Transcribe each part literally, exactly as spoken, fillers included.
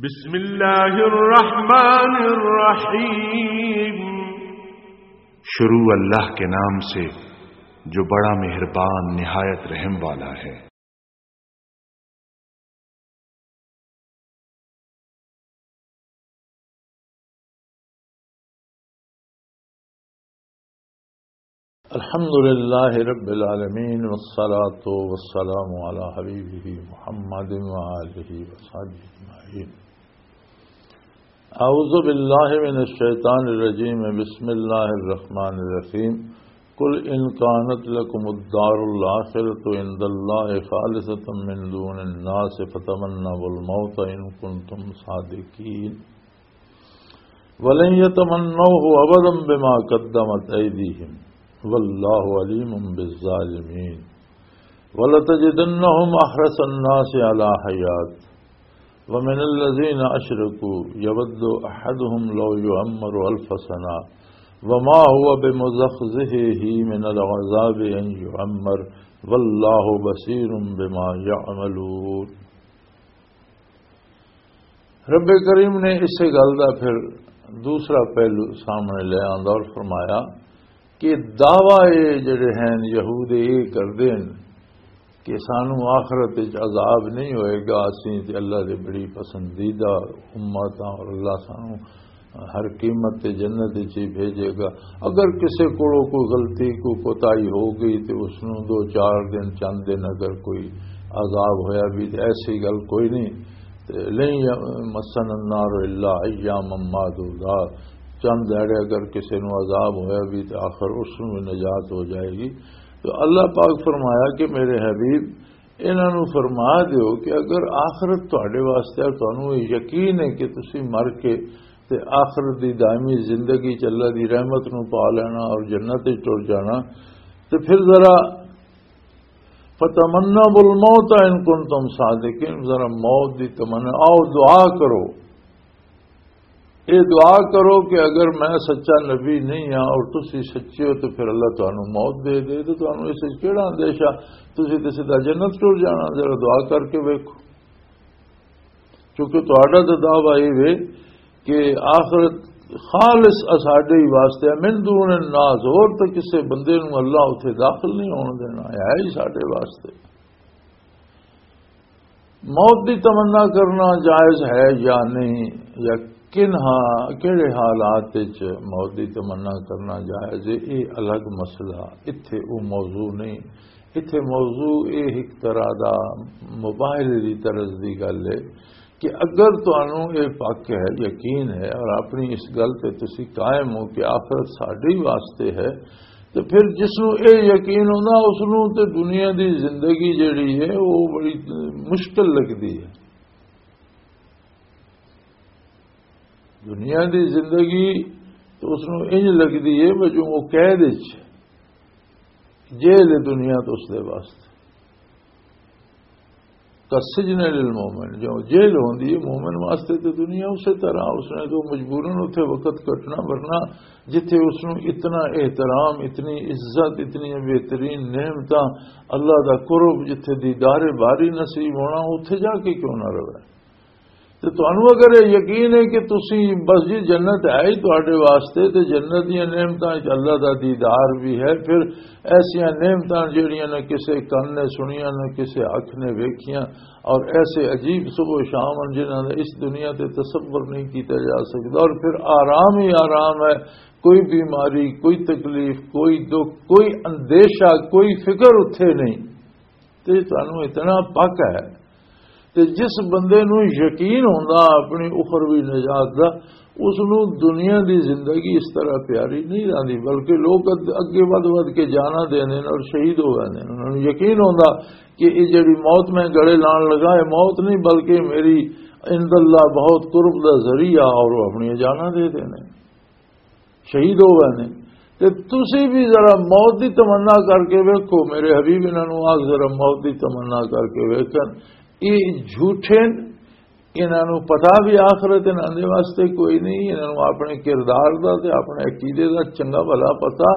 بسم اللہ الرحمن الرحیم۔ شروع اللہ کے نام سے جو بڑا مہربان نہایت رحم والا ہے۔ الحمد لله رب العالمين، والصلاة والسلام على حبيبه محمد وآله وصحبه أجمعين. أعوذ بالله من الشيطان الرجيم. بسم الله الرحمن الرحيم. قل إن كانت لكم الدار الآخرة عند الله خالصة من دون الناس فتمنوا الموت إن كنتم صادقين. ولن يتمنوه أبدا بما قدمت أيديهم والله عليم بالظالمين. ولتجدنهم أحرص الناس على حياة ومن الذين أشركوا يود أحدهم لو يعمر ألف سنة وما هو بمزحزحه من العذاب أن يعمر والله بصير بما يعملون. رب کریم نے اسے گل دا پھر دوسرا پہلو سامنے لے آندا اور فرمایا کہ دعویٰ اے جڑے ہیں یہود اے کردے ہیں کہ سانو آخرت وچ عذاب نہیں ہوئے گا، اسیں تے اللہ دے بڑی پسندیدہ امت ہاں اور اللہ سانو ہر قیمت تے جنت وچ ہی بھیجے گا۔ اگر کسے کولوں کوئی غلطی، کوئی کوتاہی ہو گئی تے اس نوں دو چار دن، چند دن اگر کوئی عذاب ہویا بھی تے ایسی گل کوئی نہیں۔ تے لن مسنا النار الا ایاما معدودات، چند دھڑے اگر کسے نوں عذاب ہویا بھی تے آخر اس نوں بھی نجات ہو جائے گی۔ تو اللہ پاک فرمایا کہ میرے حبیب، انہاں نوں فرما دیو کہ اگر آخرت تہاڈے واسطے، اور تانوں یہ یقین ہے کہ تسی مر کے تے آخرت دی دائمی زندگی چ اللہ دی رحمت نوں پا لینا اور جنت وچ ٹر جانا، تے پھر ذرا فتمنوا الموت ان کنتم صادقین، ذرا موت دی تمنا، آؤ دعا کرو، اے دعا کرو کہ اگر میں سچا نبی نہیں ہاں اور تسی سچے ہو تو پھر اللہ تانوں موت دے دے، تو تانوں اس وچ کیڑا اندیشہ؟ تسی تے سیدھا جنت ٹر جانا۔ ذرا دعا کر کے ویکھو، کیونکہ تہاڈا تے دعویٰ اے وے کہ آخرت خالص اساڈے ہی واسطے ہے، من دون الناس، اور تے کسے بندے نوں اللہ اتھے داخل نہیں ہون دینا، ہے ہی ساڈے واسطے۔ موت دی تمنا کرنا جائز ہے یا نہیں، یا کن ہاں، کہڑے حالات وچ موت دی تمنا کرنا جائز ہے، یہ الگ مسئلہ، اتھے وہ موضوع نہیں۔ اتھے موضوع یہ ایک طرح دا مباحثے دی طرز دی گل ہے کہ اگر تانوں یہ پک ہے، یقین ہے اور اپنی اس گل تے تسی قائم ہو کہ آخرت ساڈے ہی واسطے ہے، تے پھر جس نوں اے یقین ہوندا، اس نوں تے دنیا دی زندگی جڑی ہے، وہ بڑی مشکل لگدی ہے۔ دنیا دی زندگی تے اس نوں انج لگدی ہے، وہ جو وہ قید وچ جیل ہے دنیا تو اس دے واسطے۔ کسجن للمومن، جو جیل ہوندی ہے مومن واسطے، تے دنیا اسی طرح، اس نے تو مجبوراً اتھے وقت کٹنا، ورنہ جتھے اس نوں اتنا احترام، اتنی عزت، اتنی بہترین نعمتاں، اللہ دا قرب، جتھے دیدار باری نصیب ہونا، اتھے جا کے کیوں نہ رہے؟ تے تانوں اگر یہ یقین ہے کہ تسی بس جی جنت ہے ہی تہاڈے واسطے، تے جنت دیاں نعمتاں وچ اللہ دا دیدار بھی ہے، پھر ایسیاں نعمتاں جڑیاں نہ کسے کن نے سنیاں، نہ کسے اکھ نے ویکھیاں، اور ایسے عجیب صبح و شام ہیں جنہاں دا اس دنیا تے تصور نہیں کیتا جا سکدا۔ اور پھر آرام ہی آرام ہے، کوئی بیماری، کوئی تکلیف، کوئی دکھ، کوئی اندیشہ، کوئی فکر اتھے نہیں۔ تے تانوں اتنا پک ہے۔ تے جس بندے نوں یقین ہوندا اپنی اخروی نجات دا، اس نوں دنیا دی زندگی اس طرح پیاری نہیں رہندی، بلکہ لوگ اگ-، اگے ودھ ودھ کے جانا دیندے نے اور شہید ہو ویندے نے۔ انہاں نوں یقین ہوندا کہ یہ جڑی موت میں گلے لان لگا، یہ موت نہیں، بلکہ میری عند اللہ بہت قرب دا ذریعہ، اور وہ اپنی جانا دے دینے، شہید ہو گئے نے۔ تے تسی بھی ذرا موت دی تمنا کر کے ویکھو، میرے حبیب، انہاں نوں آ ذرا موت دی تمنا کر کے ویکھن۔ یہ جھوٹے نے، انہاں نوں پتہ بھی آخرت انہاں دے واسطے کوئی نہیں، انہاں نوں اپنے کردار دا تے اپنے عقیدے دا چنگا بھلا پتہ،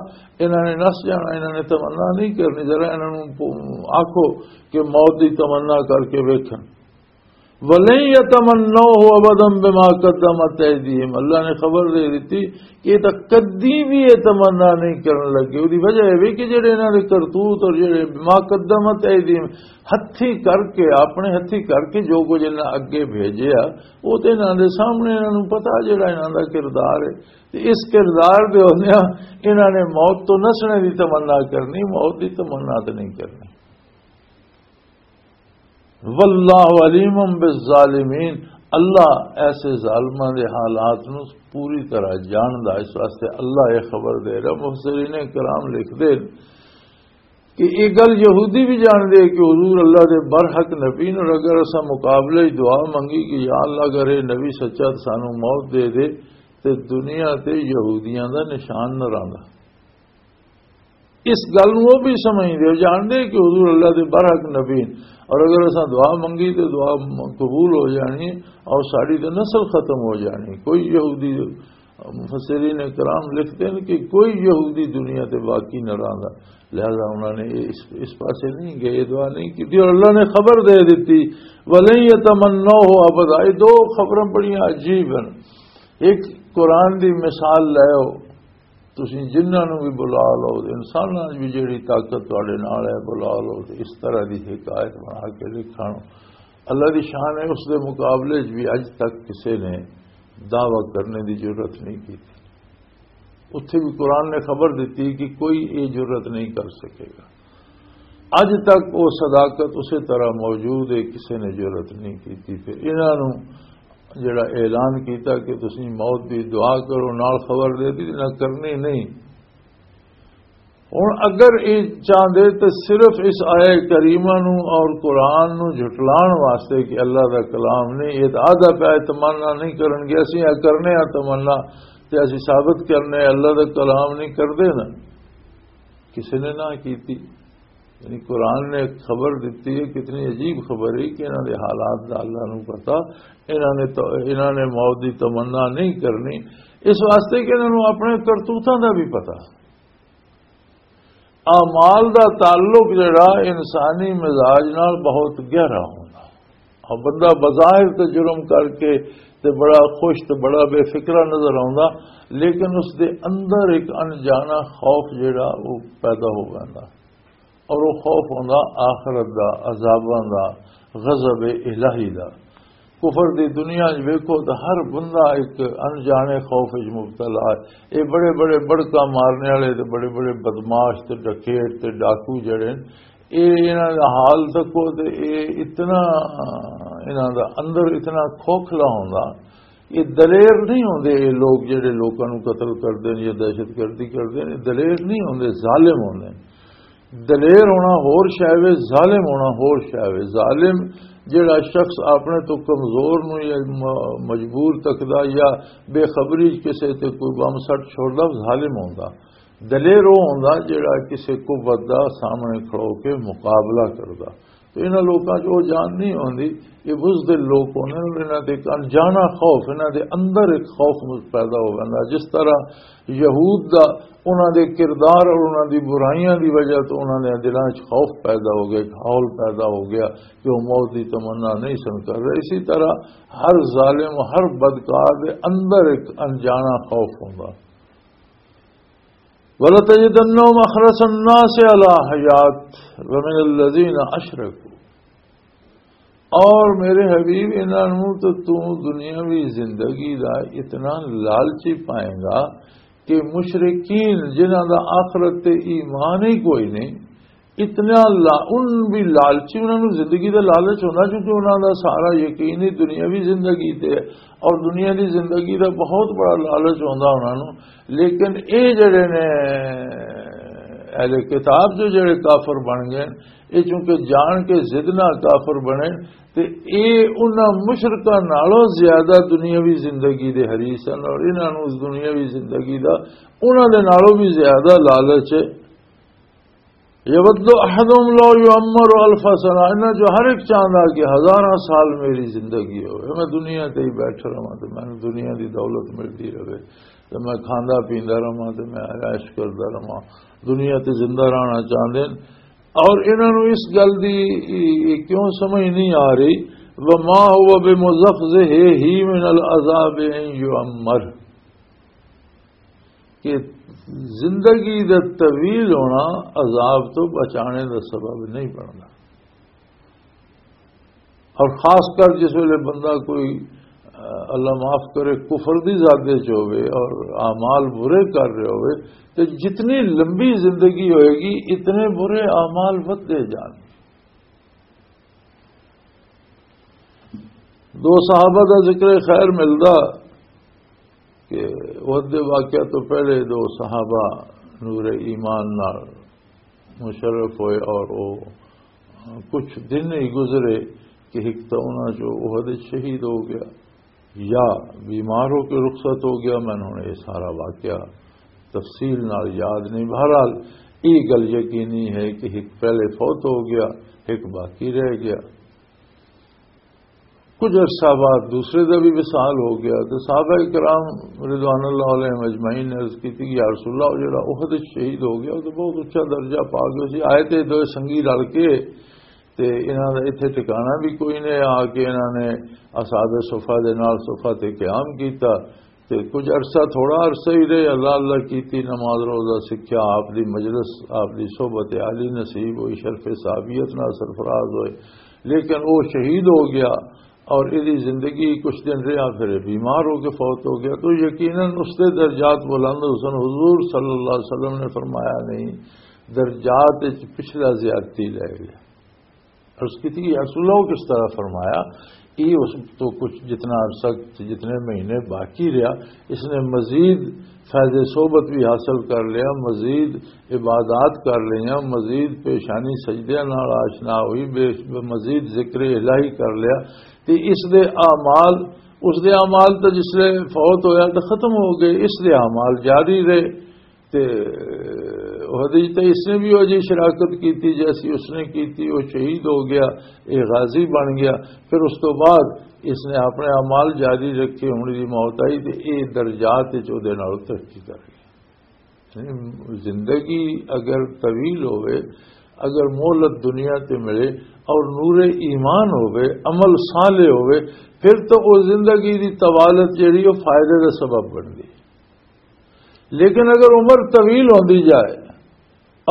انہاں نے نس جانا، انہاں نے تمنا نہیں کرنی۔ ذرا انہاں نوں پو-، آکھو کہ موت دی تمنا کر کے ویکھن۔ ولن يتمنوه ابدا بما قدمت ايديهم۔ اللہ نے خبر دے دیتی کہ یہ تاں کدی بھی یہ تمنا نہیں کرن لگے۔ وجہ یہ بھی کہ جڑے انہاں دے کرتوت اور جڑے بما قدمت ايديهم، ہتھی کر کے، اپنے ہتھی کر کے جو کچھ انہاں اگے بھیجیا، وہ تے انہاں دے سامنے، انہاں نوں پتا جڑا انہاں دا کردار ہے۔ تے اس کردار دے ہوندیاں انہاں نے موت تو نسنے دی تمنا کرنی، موت دی تمنا تے نہیں کرنی۔ واللہ علیم بالظالمین، اللہ ایسے ظالماں دے حالات نو پوری طرح جاندا، اس واسطے اللہ یہ خبر دے رہا۔ مفسرین کرام لکھ دے کہ یہ گل یہودی بھی جان دے کہ حضور اللہ دے برحق نبی نے، اور اگر اساں مقابلے وچ دعا منگی کہ یا اللہ، اگر یہ نبی سچا تے سانو موت دے دے، تے دنیا تے یہودیاں دا نشان نہ رہندا۔ اس گل نوں وہ بھی سمجھدے ہو، جاندے کہ حضور اللہ دے برحق نبی ہیں، اور اگر اساں دعا منگی تے دعا م-، قبول ہو جانی ہے، اور ساری تے نسل ختم ہو جانی۔ کوئی یہودی، مفسرین کرام لکھتے ہیں کہ کوئی یہودی دنیا تے باقی نہ رہندا۔ لہذا انہوں نے اس، اس پاسے نہیں گئے، یہ دعا نہیں کی اور اللہ نے خبر دے دیتی، "ولن يتمنوه ابدا۔" یہ دو خبراں بڑیاں عجیب ہیں۔ ایک قرآن دی مثال لے آؤ، تسی جنہاں نوں بھی بلا لو، انساناں وچ بھی جیڑی طاقت تواڈے نال ہے، بلا لو، تے اس طرح دی حکایت بنا کے لکھن۔ اللہ دی شان ہے، اس دے مقابلے وچ بھی اج تک کسے نے دعویٰ کرنے دی جرات نہیں کی۔ اتھے بھی قرآن نے خبر دیتی کہ کوئی یہ جرات نہیں کر سکے گا۔ اج تک وہ صداقت اسی طرح موجود ہے، کسی نے جرات نہیں کی۔ پھر انہاں نوں جڑا اعلان کیتا کہ تسی موت دی دعا کرو، نال خبر دے دی، نہ کرنی نہیں۔ ہن اگر یہ چاہندے تے صرف اس آیہ کریمہ نوں اور قرآن نوں جھٹلان واسطے کہ اللہ دا کلام نہیں، یہ تو آدھا پیا تمنا نہیں کرن گے، اسی آ کرنے آ تمنا، تے اسی ثابت کرنے اللہ دا کلام نہیں کردے نا۔ کسی نے نہ کیتی۔ یعنی قرآن نے ایک خبر دیتی ہے، کتنی عجیب خبر ہے کہ انہاں دے حالات دا اللہ نوں پتا، انہاں نے تو، انہاں نے موت دی تمنا نہیں کرنی، اس واسطے کہ انہاں نوں اپنے کرتوتاں دا بھی پتا۔ اعمال دا تعلق جڑا انسانی مزاج نال بہت گہرا ہوندا۔ اور بندہ بظاہر تے جرم کر کے تے بڑا خوش تے بڑا بے فکرہ نظر آوندا، لیکن اس دے اندر ایک انجانا خوف جڑا وہ پیدا ہو ویندا، اور وہ خوف ہوندا آخرت دا، عذاباں دا، غضب الہی دا۔ کفر دی دنیا وچ ویکھو تاں ہر بندہ ایک انجانے خوف وچ مبتلا ہے۔ اے بڑے بڑے بڑکاں مارنے والے تے بڑے بڑے بدماش تے ڈکیٹ تے ڈاکو جڑے نے، اے انہاں دا حال تکو تے اے اتنا، انہاں دا اندر اتنا کھوکھلا ہوندا۔ اے دلیر نہیں ہوندے، اے لوگ جڑے لوکاں نوں قتل کردے نے یا دہشت گردی کردے نے، دلیر نہیں ہوندے، ظالم ہوندے نے۔ دلیر ہونا ہور شے وے، ظالم ہونا ہور شے وے۔ ظالم جڑا شخص اپنے تو کمزور نوں یا م-، مجبور تکدا یا بے خبری چ کسے تے کوئی بم سٹ چھوڑدا، ظالم ہوندا۔ دلیر وہ ہوندا جڑا کسے قوت دا سامنے کھڑو کے مقابلہ کردا۔ تو انہاں لوکاں چ وہ جان نہیں ہوندی۔ یہ بزدل لوک ہوندے نے، انہاں تے ایک انجانا خوف، انہاں دے اندر ایک خوف پیدا ہو ویندا۔ جس طرح یہود دا انہاں دے کردار اور انہاں دی برائیاں دی وجہ تو انہاں دے دلاں وچ خوف پیدا ہو گیا، ایک ہول پیدا ہو گیا کہ وہ موت دی تمنا نہیں سن کر رہے۔ اسی طرح ہر ظالم، ہر بدکار دے اندر ایک انجانا خوف ہوندا۔ وَلَتَجِدَنَّهُمْ أَحْرَصَ النَّاسِ عَلَى حَيَاةٍ وَمِنَ الَّذِينَ أَشْرَكُوا۔ اور میرے حبیب، انہاں نوں تو تو دنیاوی زندگی دا اتنا لالچی پائیں گا کہ مشرکین، جنہاں دا آخرت تے ایمان ہی کوئی نہیں، اتنا لا-، ان بھی لالچی، انہاں نوں زندگی دا لالچ ہوندا، کیونکہ انہاں دا سارا یقین ہی دنیاوی زندگی تے ہے، اور دنیا دی زندگی دا بہت بڑا لالچ ہوندا انہاں نوں۔ لیکن اے جڑے نے اہل کتاب جو جڑے کافر بن گئے، اے چونکہ جان کے ضد نہ کافر بنے، تے اے انہاں مشرکاں نالوں زیادہ دنیاوی زندگی دے حریص ہن، اور انہاں نوں اس دنیاوی زندگی دا انہاں دے نالوں بھی زیادہ لالچ ہے۔ یود احدہم لو یعمر الف سنہ، انہاں جو ہر ایک چاہندا کہ ہزاراں سال میری زندگی ہوئے، میں دنیا تے ہی بیٹھا رہواں تے مینوں دنیا دی دولت ملدی رہے، تے میں کھاندا پیندا رہواں، تے میں عیش کردا رہواں۔ دنیا تے زندہ رہنا چاہندے نے۔ اور انہاں نوں اس گل دی کیوں سمجھ نہیں آ رہی وما هو بمزحزحه من العذاب ان يعمر، کہ زندگی دا طویل ہونا عذاب تو بچانے دا سبب نہیں بنتا۔ اور خاص کر جس ویلے بندہ کوئی، آ، اللہ معاف کرے، کفر دی زادے چ ہوئے اور اعمال برے کر رہے ہوئے، تو جتنی لمبی زندگی ہوئے گی، اتنے برے اعمال ودھدے جان۔ دو صحابہ دا ذکر خیر ملدا کہ احد دے واقعہ تو پہلے دو صحابہ نور ایمان نال مشرف ہوئے اور وہ کچھ دن ہی گزرے کہ ایک تو انہاں جو احد وچ شہید ہو گیا یا بیمار ہو کے رخصت ہو گیا۔ میں ہن یہ سارا واقعہ تفصیل نال یاد نہیں۔ بہرحال، یہ گل یقینی ہے کہ ایک پہلے فوت ہو گیا، ایک باقی رہ گیا۔ کچھ عرصہ بعد دوسرے دا بھی وصال ہو گیا، تو صحابہ کرام رضوان اللہ علیہم اجمعین نے عرض کی تھی کہ یا رسول اللہ، وہ جڑا احد وچ شہید ہو گیا، وہ تو بہت اچا درجہ پا گیا سی۔ آئے تے دوئے سنگی رل کے، تے انہاں دا اتھے ٹھکانہ بھی کوئی نہیں، آ کے انہاں نے اصحاب صفہ دے نال صفہ تے قیام کیتا۔ تے کچھ عرصہ، تھوڑا عرصہ ہی رہے، اللہ اللہ کیتی، نماز روزہ سکھیا، آپ دی مجلس، آپ دی صحبت عالی نصیب ہوئی، شرف صحابیت نال سرفراز ہوئے۔ لیکن وہ شہید ہو گیا اور ایدی زندگی کچھ دن رہا، پھر یہ بیمار ہو کے فوت ہو گیا۔ تو یقیناً اس دے درجات بلند حسن حضور صلی اللہ علیہ وسلم نے فرمایا نہیں، درجات وچ پچھلا زیادتی لے گیا۔ عرض کی تھی، "یا رسول اللہ، وہ کس طرح فرمایا؟" یہ اس تو کچھ جتنا عرصہ، جتنے مہینے باقی رہا، اس نے مزید فیض صحبت بھی حاصل کر لیا، مزید عبادات کر لیا، مزید پیشانی سجدیاں نال آشنا ہوئی، بے-، مزید ذکر الہی کر لیا۔ تے اس دے اعمال، اس دے اعمال تو جس لے فوت ہویا تو ختم ہو گئے، اس دے اعمال جاری رہے۔ تے احد وچ تے اس نے بھی وہ جی شراکت کیتی جیسی اس نے کیتی، وہ شہید ہو گیا، یہ غازی بن گیا۔ پھر اس تو بعد اس نے اپنے اعمال جاری رکھے، ہن دی موت آئی تے یہ درجات وچ اودے نال ترقی کر گیا۔ یعنی زندگی اگر طویل ہوئے، اگر مہلت دنیا تے ملے اور نور ایمان ہوئے، عمل صالح ہوئے، پھر تو وہ زندگی دی طوالت جڑی وہ فائدے دا سبب بن گئی۔ لیکن اگر عمر طویل ہوندی جائے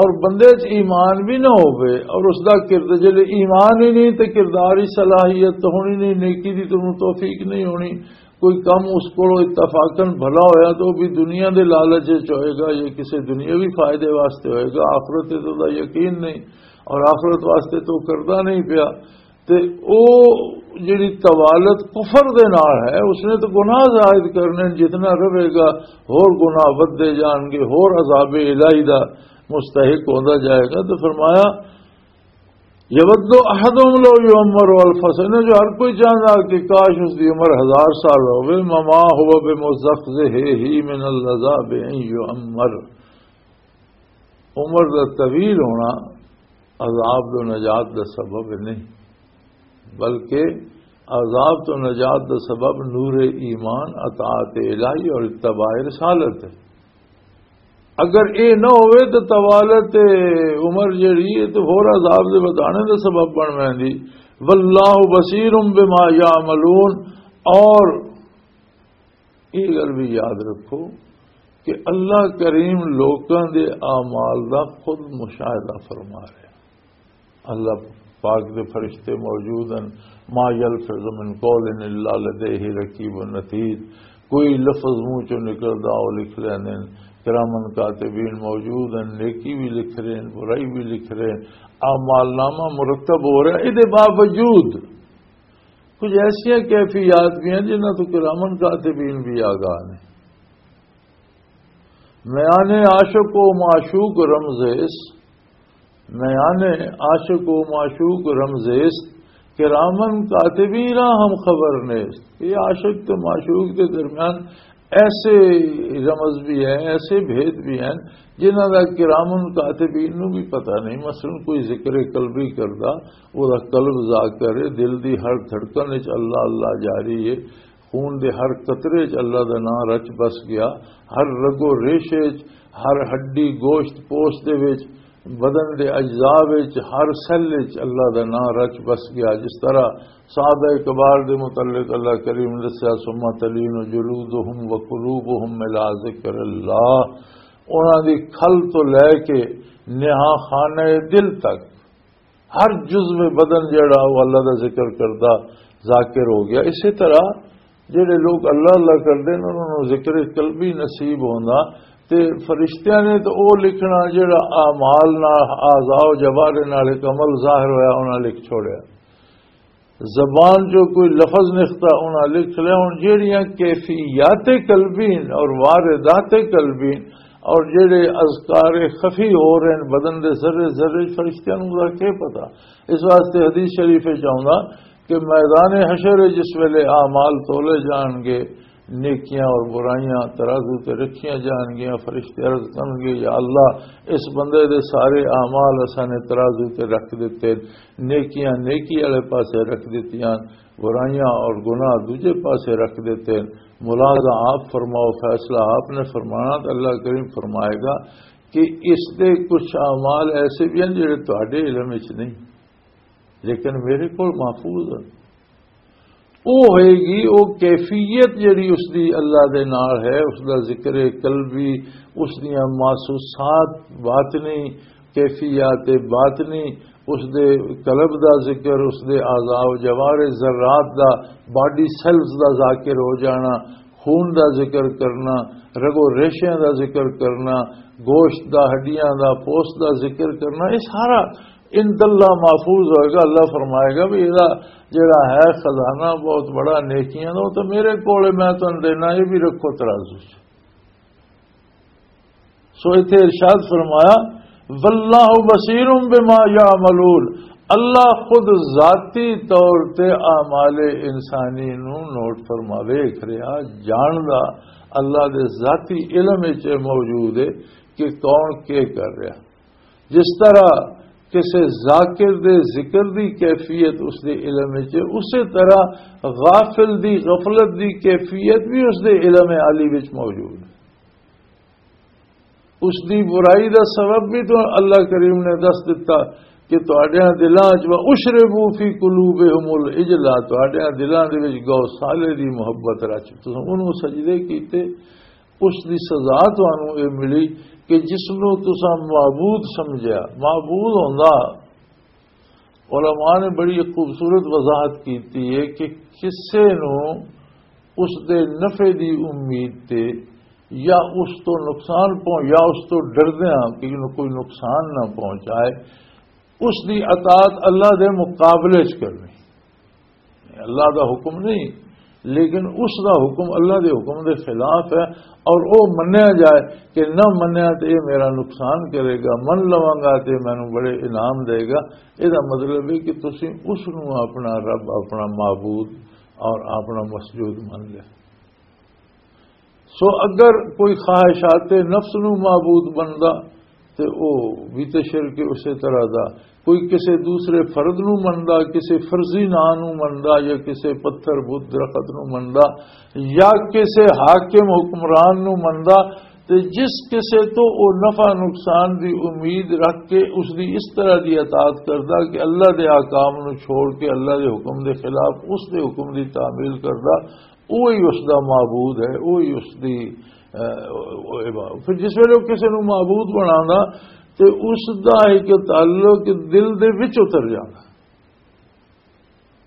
اور بندے چ ایمان بھی نہ ہوئے اور اس دا کرد-، جلے ایمان ہی نہیں تے کردار ہی صلاحیت تو ہونی نہیں، نیکی دی تو توفیق نہیں ہونی، کوئی کم اس کو اتفاقاً بھلا ہویا تو بھی دنیا دے لالچ وچ ہوئے گا، یہ کسی دنیاوی فائدے واسطے ہوئے گا، آخرت تے تو دا یقین نہیں اور آخرت واسطے تو کردا نہیں پیا۔ تے او جڑی طوالت کفر دے نال ہے، اس نے تو گناہ زائد کرنے، جتنا رہے گا ہور گناہ ودھدے جان گے، ہور عذاب الہی دا مستحق ہوندا جائے گا۔ تو فرمایا، "یود احدہم لو یعمر الف سنہ"، جو ہر کوئی چاہندا کہ کاش اس دی عمر ہزار سال ہوے، "مما هو بمزحزحہ من العذاب ان یعمر"۔ عمر دا طویل ہونا عذاب دو نجات دا سبب نہیں، بلکہ عذاب تو نجات دا سبب نور ایمان، اطاعت الہی اور اتباع رسالت ہے۔ اگر اے نہ ہوئے تو طوالت عمر جڑی ہے تو ہور عذاب دے ودھانے دا سبب بن ویندی۔ واللہ بصیر بما یعملون، اور یہ گل بھی یاد رکھو کہ اللہ کریم لوکاں دے اعمال دا خود مشاہدہ فرما رہے۔ اللہ پاک دے فرشتے موجود ہیں، "ما یلفظ من قول الا لدیہ رقیب عتید"، کوئی لفظ منہ چوں نکلدا وہ لکھ لیندے ہیں، کرامن کاتبین موجود ہیں، نیکی بھی لکھ رہے ہیں، برائی بھی لکھ رہے ہیں، اعمال نامہ مرتب ہو رہا ہے۔ اے دے باوجود کچھ ایسیاں کیفیات بھی ہیں جنہاں تو کرامن کاتبین بھی آگاہ نے۔ میان عاشق و معشوق رمزیست، میان عاشق و معشوق رمزیست، کرامن کاتبین را ہم خبر نیست۔ یہ عاشق تو معشوق کے درمیان ایسے رمز بھی ہیں، ایسے بھید بھی ہیں جنہاں دا کرامن کاتبین نو بھی پتہ نہیں۔ مثلاً کوئی ذکر قلبی کردا، وہ دا قلب ذاکر ہے، دل دی ہر دھڑکن وچ اللہ اللہ جاری ہے، خون دے ہر قطرے وچ اللہ دا نام رچ بس گیا، ہر رگ و ریشے وچ، ہر ہڈی گوشت پوست دے وچ بدن دے اجزاء وچ، ہر سیل وچ اللہ دا نام رچ بس گیا۔ جس طرح صحابہ کبار دے متعلق اللہ کریم نے دسیا، "ثم تلین جلودہم وقلوبہم الی ذکر اللہ"، انہاں دی کھل تو لے کے نہا خانہ دل تک ہر جزو بدن جڑا وہ اللہ دا ذکر کردا، ذاکر ہو گیا۔ اسی طرح جڑے لوگ اللہ اللہ کردے نے، انہاں نوں ذکر قلبی نصیب ہوندا۔ تے فرشتیاں نے تو او لکھنا جڑا اعمال نال، اعضاء و جوارح نال ایک عمل ظاہر ہویا، انہاں لکھ چھوڑیا۔ زبان جو کوئی لفظ نکھتا، انہاں لکھ لیا۔ ہن جڑیاں کیفیات قلبی اور واردات قلبی اور جڑے اذکار خفی ہو رہے ہیں بدن دے ذرے ذرے، فرشتیاں نوں دا کی پتہ؟ اس واسطے حدیث شریف وچ آوندا کہ میدان حشر جس ویلے اعمال تولے جان گے، نیکیاں اور برائیاں ترازو تے رکھیاں جان گیاں، فرشتے عرض کرن گے، "یا اللہ، اس بندے دے سارے اعمال اساں نے ترازو تے رکھ دتے، نیکیاں نیکی والے پاسے رکھ دتیاں، برائیاں اور گناہ دوجے پاسے رکھ دتے۔" ملازہ آپ فرماؤ، فیصلہ آپ نے فرمانا، تو اللہ کریم فرمائے گا کہ اس دے کچھ اعمال ایسے بھی ہیں جڑے تہاڈے علم وچ نہیں، لیکن میرے کول محفوظ ہیں۔ او ہوئے گی، او کیفیت جڑی اس دی اللہ دے نال ہے، اس دا ذکر قلبی، اس دیاں محسوسات باطنی، کیفیات باطنی، اس دے قلب دا ذکر، اس دے اعضاء و جوارح ذرات دا، باڈی سیلز دا ذاکر ہو جانا، خون دا ذکر کرنا، رگو ریشیاں دا ذکر کرنا، گوشت دا، ہڈیاں دا، پوست دا ذکر کرنا، یہ سارا عند اللہ محفوظ ہوئے گا۔ اللہ فرمائے گا بھی یہ جڑا ہے خزانہ بہت بڑا نیکیاں دا، وہ تو میرے کول ہے، میں تانوں دینا، یہ بھی رکھو ترازو چ۔ سو اتھے ارشاد فرمایا، "واللہ بصیر بما یعملون"، اللہ خود ذاتی طور تے اعمال انسانی نو نوٹ فرما، ویکھ رہا، جاندا۔ اللہ دے ذاتی علم وچ موجود ہے کہ کون کی کر رہا۔ جس طرح کسے ذاکر دے ذکر دی کیفیت اس دے علم وچ ہے، اسی طرح غافل دی غفلت دی کیفیت بھی اس دے علم عالی وچ موجود ہے۔ اس دی برائی دا سبب بھی تو اللہ کریم نے دس دتا کہ تہاڈیاں دلاں وچ، "وَأُشْرِبُوا فِي قُلُوبِهِمُ الْعِجْلَ"، تہاڈیاں دلاں دے وچ گو صالح دی محبت رچ، تساں انہوں سجدے کیتے۔ اس دی سزا تانوں اے ملی کہ جس نوں تساں معبود سمجھیا، معبود ہوندا، علماء نے بڑی خوبصورت وضاحت کیتی ہے کہ کسے نوں اس دے نفع دی امید تے یا اس تو نقصان پہنچ، یا اس تو ڈردیاں کہ انہوں کوئی نقصان نہ پہنچائے، اس دی اطاعت اللہ دے مقابلے چ کرنی۔ اللہ دا حکم نہیں، لیکن اس دا حکم اللہ دے حکم دے خلاف ہے، اور او منیا جائے کہ نہ منیا تے یہ میرا نقصان کرے گا، من لواں گا تے مینوں بڑے انعام دے گا۔ یہ دا مطلب ہے کہ تسی اس نو اپنا رب، اپنا معبود اور اپنا مسجود من لے۔ سو اگر کوئی خواہشات نفس نو معبود بندا تے او بھی تے شرک اسی طرح دا، کوئی کسے دوسرے فرد نو مندا، کسے فرضی ناں نو مندا یا کسے پتھر بت درخت نو مندا یا کسے حاکم حکمران نو مندا، تے جس کسے تو او نفع نقصان دی امید رکھ کے اس دی اس طرح دی اطاعت کردا کہ اللہ دے احکام نو چھوڑ کے اللہ دے حکم دے خلاف اس دے حکم دی تعمیل کردا، اوہی اس دا معبود ہے، اوہی اس دی، اہ، او عبادت۔ پھر جس ویلے او کسے نو معبود بنانا تے اس دا ایک تعلق دل دے وچ اتر جانا۔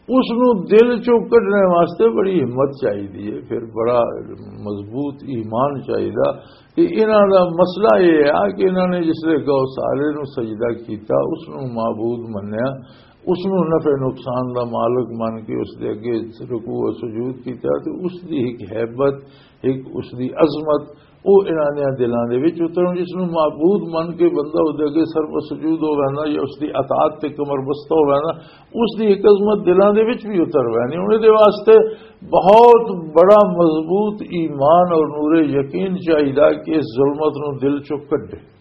اس نو دل چوں کڈنے واسطے بڑی ہمت چاہیدی ہے، پھر بڑا مضبوط ایمان چاہیدا۔ کہ انہاں دا مسئلہ یہ ہے کہ انہاں نے جس لے گو سارے نو سجدہ کیتا، اس نو معبود منیا، اس نو نفع نقصان دا مالک من کے اس دے اگے رکوع و سجود کیتا، تے اس دی ایک ہیبت، ایک اس دی عظمت، او انہاں دے دلاں دے وچ اترن۔ جس نو معبود من کے بندہ اس دے اگے سر پر سجود ہو ویندا یا اس دی اطاعت تے کمر بستہ ہو ویندا، اس دی ایک عظمت دلاں دے وچ بھی اتر وینی۔ انہاں دے واسطے بہت بڑا مضبوط ایمان اور نور یقین چاہیدا کہ اس ظلمت نو دل چوں کڈے۔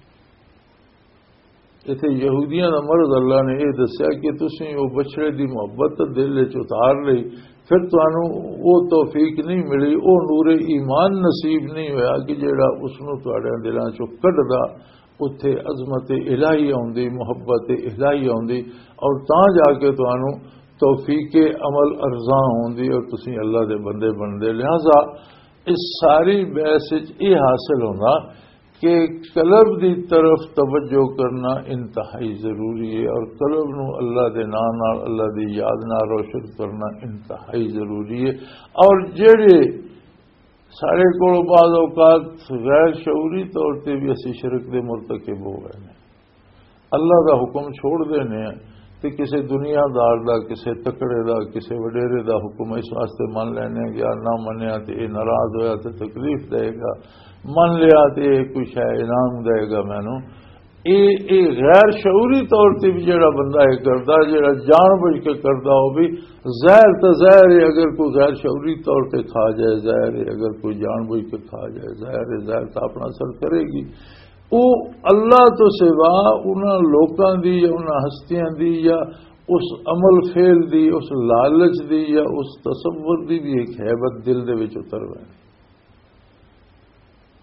ایتھے یہودیاں دا مرض اللہ نے یہ دسیا کہ تسیں او بچڑے دی محبت دل وچ اتار لئی، پھر تانوں او توفیق نہیں ملی، او نور ایمان نصیب نہیں ہویا کہ جیڑا اس نو تہاڈے دلاں چوں کڈدا اتھے عظمت الہی آوندی، محبت الہی آوندی، اور تاں جا کے تانوں توفیق عمل ارزاں ہوندی اور تسی اللہ دے بندے بندے۔ لہذا اس ساری بحث وچ یہ حاصل ہوندا کہ قلب دی طرف توجہ کرنا انتہائی ضروری ہے، اور قلب نو اللہ دے نام نال، اللہ دی یاد نال روشن کرنا انتہائی ضروری ہے۔ اور جڑے ساڈے کول بعض اوقات غیر شعوری طور تے بھی اسی شرک دے مرتکب ہو گئے نے، اللہ دا حکم چھوڑ دینے ہیں تے کسے دنیا دار دا، کسے تکڑے دا، کسے وڈیرے دا حکم اس واسطے من لینے ہیں کہ یار نہ منیا تے یہ ناراض ہویا تے تکلیف دے گا، من لیا تے یہ کوئی شے انعام دے گا مینوں۔ اے اے غیر شعوری طور تے بھی جڑا بندہ یہ کردا، جڑا جان بوجھ کے کردا، وہ بھی ظاہر تو ظاہر ہے، اگر کوئی غیر شعوری طور تے کھا جائے، ظاہر ہے، اگر کوئی جان بوجھ کے کھا جائے، ظاہر ہے، ظاہر تو اپنا اثر کرے گی۔ وہ اللہ تو سوا انہاں لوکاں دی یا انہاں ہستیاں دی یا اس عمل فعل دی، اس لالچ دی یا اس تصور دی بھی ایک ہیبت دل دے وچ اتر ویندی۔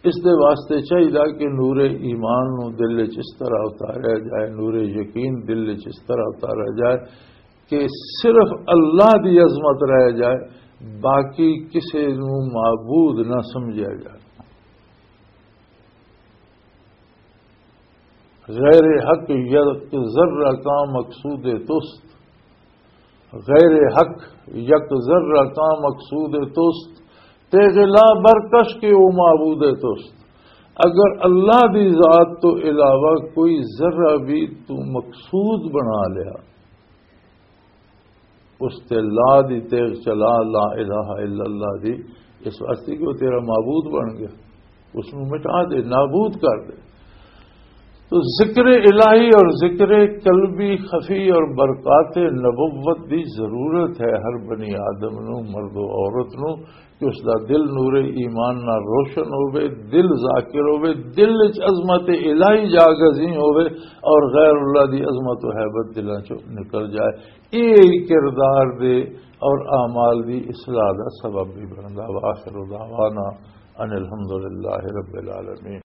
اس دے واسطے چاہیدا کہ نور ایمان نو دل وچ اس طرح اتاریا جائے، نور یقین دل وچ اس طرح اتاریا جائے کہ صرف اللہ دی عظمت رہ جائے، باقی کسے نو معبود نہ سمجھیا جائے۔ غیر حق یک ذرہ کا مقصود توست، غیر حق یک ذرہ کا مقصود توست، تیغ لا برکش کے او معبود توست۔ اگر اللہ دی ذات تو علاوہ کوئی ذرہ بھی تو مقصود بنا لیا، اس تے لا دی تیغ چلا، لا الہ الا اللہ دی، اس واسطے کہ وہ تیرا معبود بن گیا، اس نو مٹا دے، نابود کر دے۔ تو ذکر الہی اور ذکر قلبی خفی اور برکات نبوت دی ضرورت ہے ہر بنی آدم نو، مرد و عورت نو، کہ اس دا دل نور ایمان نال روشن ہوے، دل ذاکر ہوے، دل وچ عظمت الہی جاگزیں ہوے اور غیر اللہ دی عظمت و ہیبت دلاں چوں نکل جائے۔ یہ کردار دے اور اعمال دی اصلاح دا سبب بھی بندا۔ وآخر دعوانا ان الحمدللہ رب العالمین۔